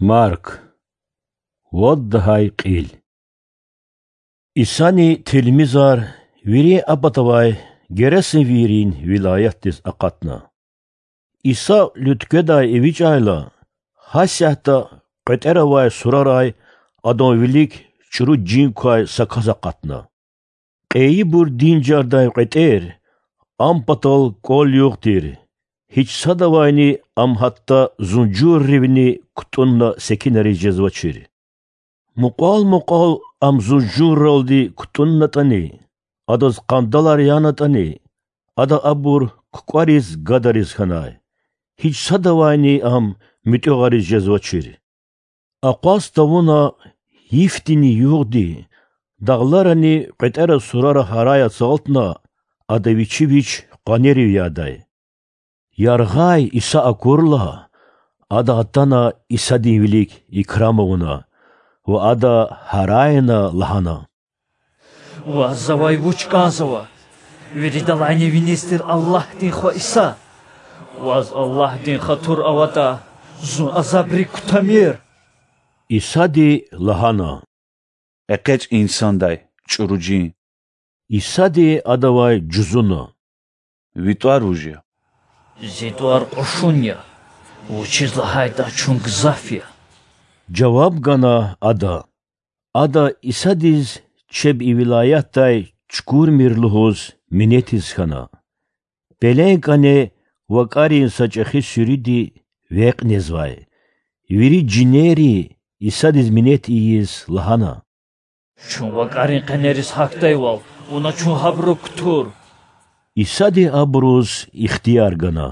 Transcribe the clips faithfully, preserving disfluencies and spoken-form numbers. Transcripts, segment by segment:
Марк. Вад лагьай кьил. Исани тилмизар вири а патавай Герасенвийрин вилаятдиз акъатна. Иса луьткведай эвичӀайла, гьасятда кьветӀера авай сурарай Адан вилик чӀуру жин квай са кас акъатна. Кьейибур динжардай кьветӀер Ам патал кӀвал-югъ тир, гьич садавайни Ам гьатта зунжурривни кутӀунна секинриз жезвачир. Мукьвал-мукьвал Ам зунжурралди кутӀуннатӀани, Адаз къандалар янатӀани, Ада абур кукӀвариз гадариз хьанай, гьич садавайни Ам муьтӀуьгъариз жезвачир. Акъваз тавуна йифдини-югъди, дагъларани кьветӀера сурара гьарай ацалтна, Ада Вичи Вич къванерив ядай. Яргъай Иса акурла, ада атана Исадин вилик икрам авуна ва Ада гьарайна лагьана: Ваз завай вуч кӀанзава, виридалайни виниз тир Аллагьдин Хва Иса? Ваз Аллагьдин хатур аватӀа, зун азабрик кутамир. Исади лагьана: ЭкъечӀ и инсандай чӀуру жин. Исади адавай жузуна: Ви тӀвар вуж я? Зи тӀвар кьушун я, вучиз лагьайтӀа чун гзаф я,— жаваб гана ада. Ада Исадиз чеб и вилаятдай чукурмир лугьуз минетиз хьана. Пеленкане вакӀарин са чӀехи суьруьди векь незвай. Вири жинерри Исадиз минет ийиз лагьана: Чун вакӀарин къенериз гьахьдайвал, вуна чун гьабурук кутур. Исади абуруз ихтияр гана.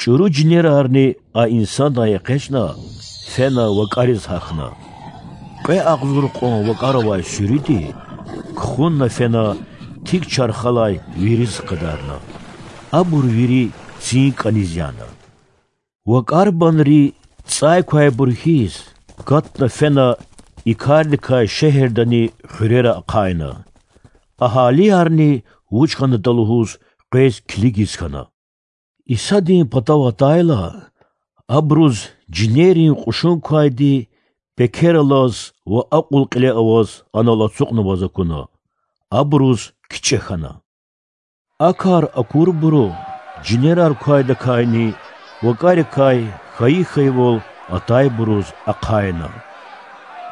ЧӀуру жинерарни а инсандай экъечӀна, фена вакӀариз гьахьна. Кьве агъзур кьван вакӀар авай суьруьди кхунна фена тик чархалай вириз хкадарна. Абур вири цин кӀаниз яна. ВакӀарбанри, цӀай квайбур хьиз, катна фена и кардикай шегьердани хуьрера ахъайна. Агьалиярни вуч хьанатӀа лугьуз къвез килигиз хьана. Исадин патав атайла, абуруз жинерин кьушун квайди пекер алаз ва акьул кьиле аваз анал ацукьнаваз акуна, абуруз кичӀе хьана. А кар акурбуру жинерар квайдакайни вакӀарикай хьайи хьайивал атайбуруз ахъайна.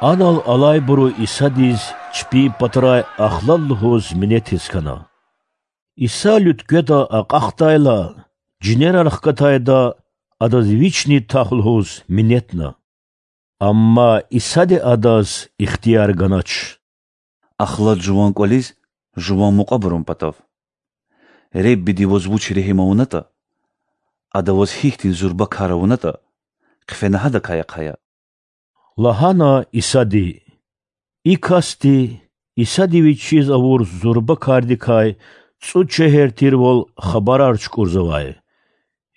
Анал алайбуру Исадиз чпин патрай ахлад лугьуз минетиз хьана. Иса луьткведа акьахдайла, жинерар хкатайда Адаз Вични тах лугьуз минетна. Амма Исади адаз ихтияр ганач: Ахлад жуван кӀвализ жуван мукьвабурун патав. Реббиди ваз вуч регьим авунатӀа, Ада ваз гьихьтин зурба кар авунатӀа, хъфена гьадакай ахъая,— лагьана Исади. И касди, Исади вичиз авур зурба кардикай цӀуд шегьер тирвал хабарар чукӀурзавай.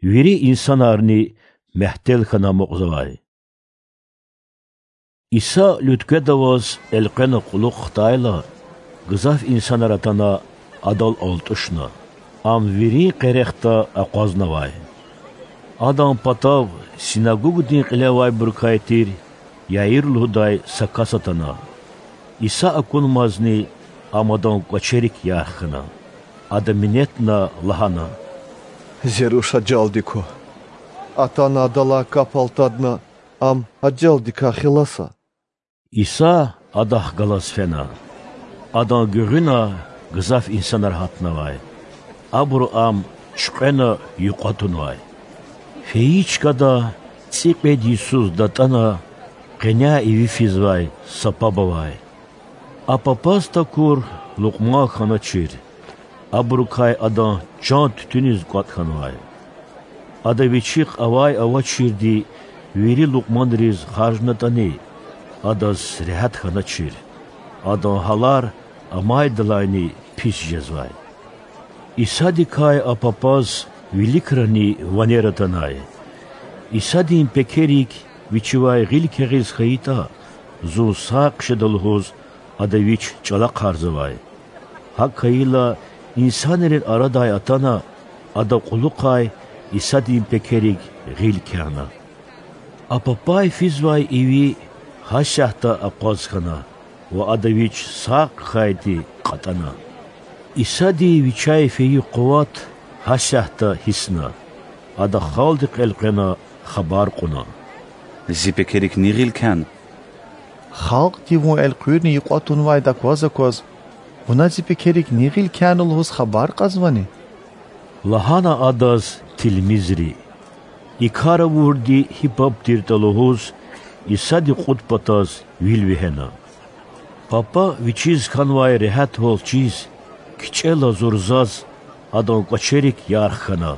Вири инсанарни мягьтел хьана амукьзавай. Иса луьткведа аваз элкъвена кьулухъ хтайла, гзаф инсанар атана Адал алтӀушна. Ам вирин къерехда акъвазнавай. Адан патав синагогдин кьиле авайбурукай тир Яир лугьудай са кас атана. Иса акунмазни ам адан кӀвачерик ярх хьана. Ада минетна лагьана: Зи руш ажалди ква. Атана адалай кап алтадна, ам ажалдикай хиласа. Иса адахъ галаз фена. Адан гуьгъуьна гзаф инсанар гьатнавай. Абуру Ам чуькьвена юкьва тунвай. Фейи чкада цӀикьвед йисуз датӀана къеняй иви физвай са паб авай. А папаз такур Лукьман хьаначир. Абурукай адан чан туьтуьниз кӀватӀ хьанвай. Ада вичихъ авай-авачирди вири лукьманриз харжнатӀани, адаз регьят хьаначир, адан гьалар амайдалайни пис жезвай. Исадикай а папаз виликрани ванер атанай. Исадин пекерик Вичивай гъил кягъиз хьайитӀа, Зун сагъ хъжеда лугьуз, Ада Вич чӀалахъарзавай. ГьакӀ хьайила, инсанрин арадай атана, Ада кьулухъай Исадин пекерик гъил кягъна. А папай физвай иви гьасятда акъваз хьана ва Ада Вич сагъ хьайиди кьатӀана. Исади Вичяй фейи къуват гьасятда гьиссна. Ада халкьдихъ элкъвена хабар кьуна: Зи пекерик ни гъил кяна? Халкьди Вун элкъуьрна юкьва тунвайди акваз-акваз, Вуна зи пекерик ни гъил кяна лугьуз хабар кьазвани? Лагьана Адаз тилмизри. И кар авурди гьи паб тиртӀа лугьуз, Исади кьуд патаз вил вегьена. Папа вичиз хьанвай регьятвал чиз, кичӀела зурзаз, адан кӀвачерик ярх хьана.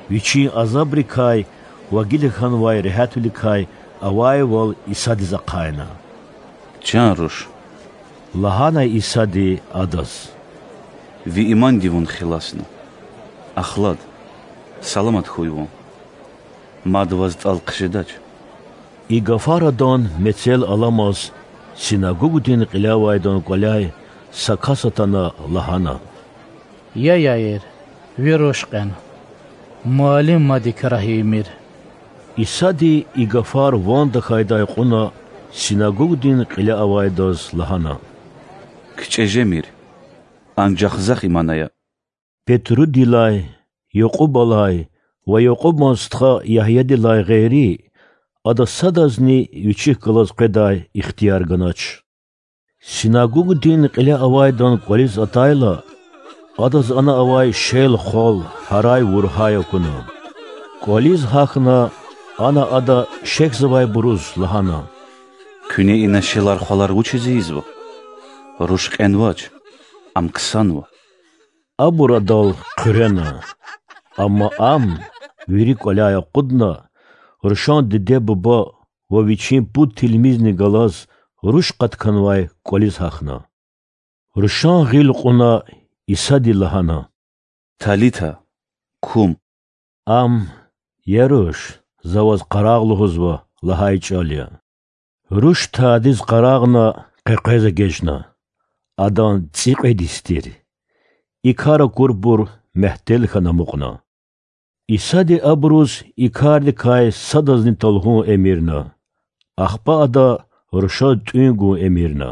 Вичин азабрикай ва гила хьанвай регьятвиликай авайвал Исадиз ахъайна. Чан руш,– лагьана Исади адаз,– ви иманди вун хиласна. Ахлад, саламат хьуй вун. Мад ваз тӀал хъжедач. И гафар адан мецел аламаз синагогдин кьиле авайдан кӀваляй са кас атана лагьана: Я Яир, ви руш кьена. Муаллим мад и крар ийимир. Исади и гафар ван тахьайдай кьуна синагогдин кьиле авайдаз лагьана: КичӀе жемир, анжах захъ иман ая. Петрудилай, Якьубалай ва Якьубан стха Ягьядилай гъейри, ада садазни вичихъ галаз къведай ихтияр ганач. Синагогдин кьиле авайдан кӀвализ атайла, адаз ана авай шел-хвал, гьарай-вургьай акуна. КӀвализ гьахьна, ана ада шехьзавайбуруз лагьана: Куьне ина шелар-хвалар вучиз ийизва? Руш кьенвач, ам ксанва. Абур адал хъуьрена. Амма ам, вири кӀваляй акъудна, рушан диде-буба ва вичин пуд тилмизни галаз руш къатканвай кӀвализ гьахьна. Рушан гъил кьуна, Исади лагьана: Талита, кум! Ам: Я руш, За ваз къарагъ лугьузва лагьай чӀал я. Руш тадиз къарагъна, къекъвез эгечӀна. Адан цӀикьвед йис тир. И кар акурбур мягьтел хьана амукьна. Исади абуруз и кардикай садазни талгьун эмирна. Ахпа Ада рушаз тӀуьн гун эмирна.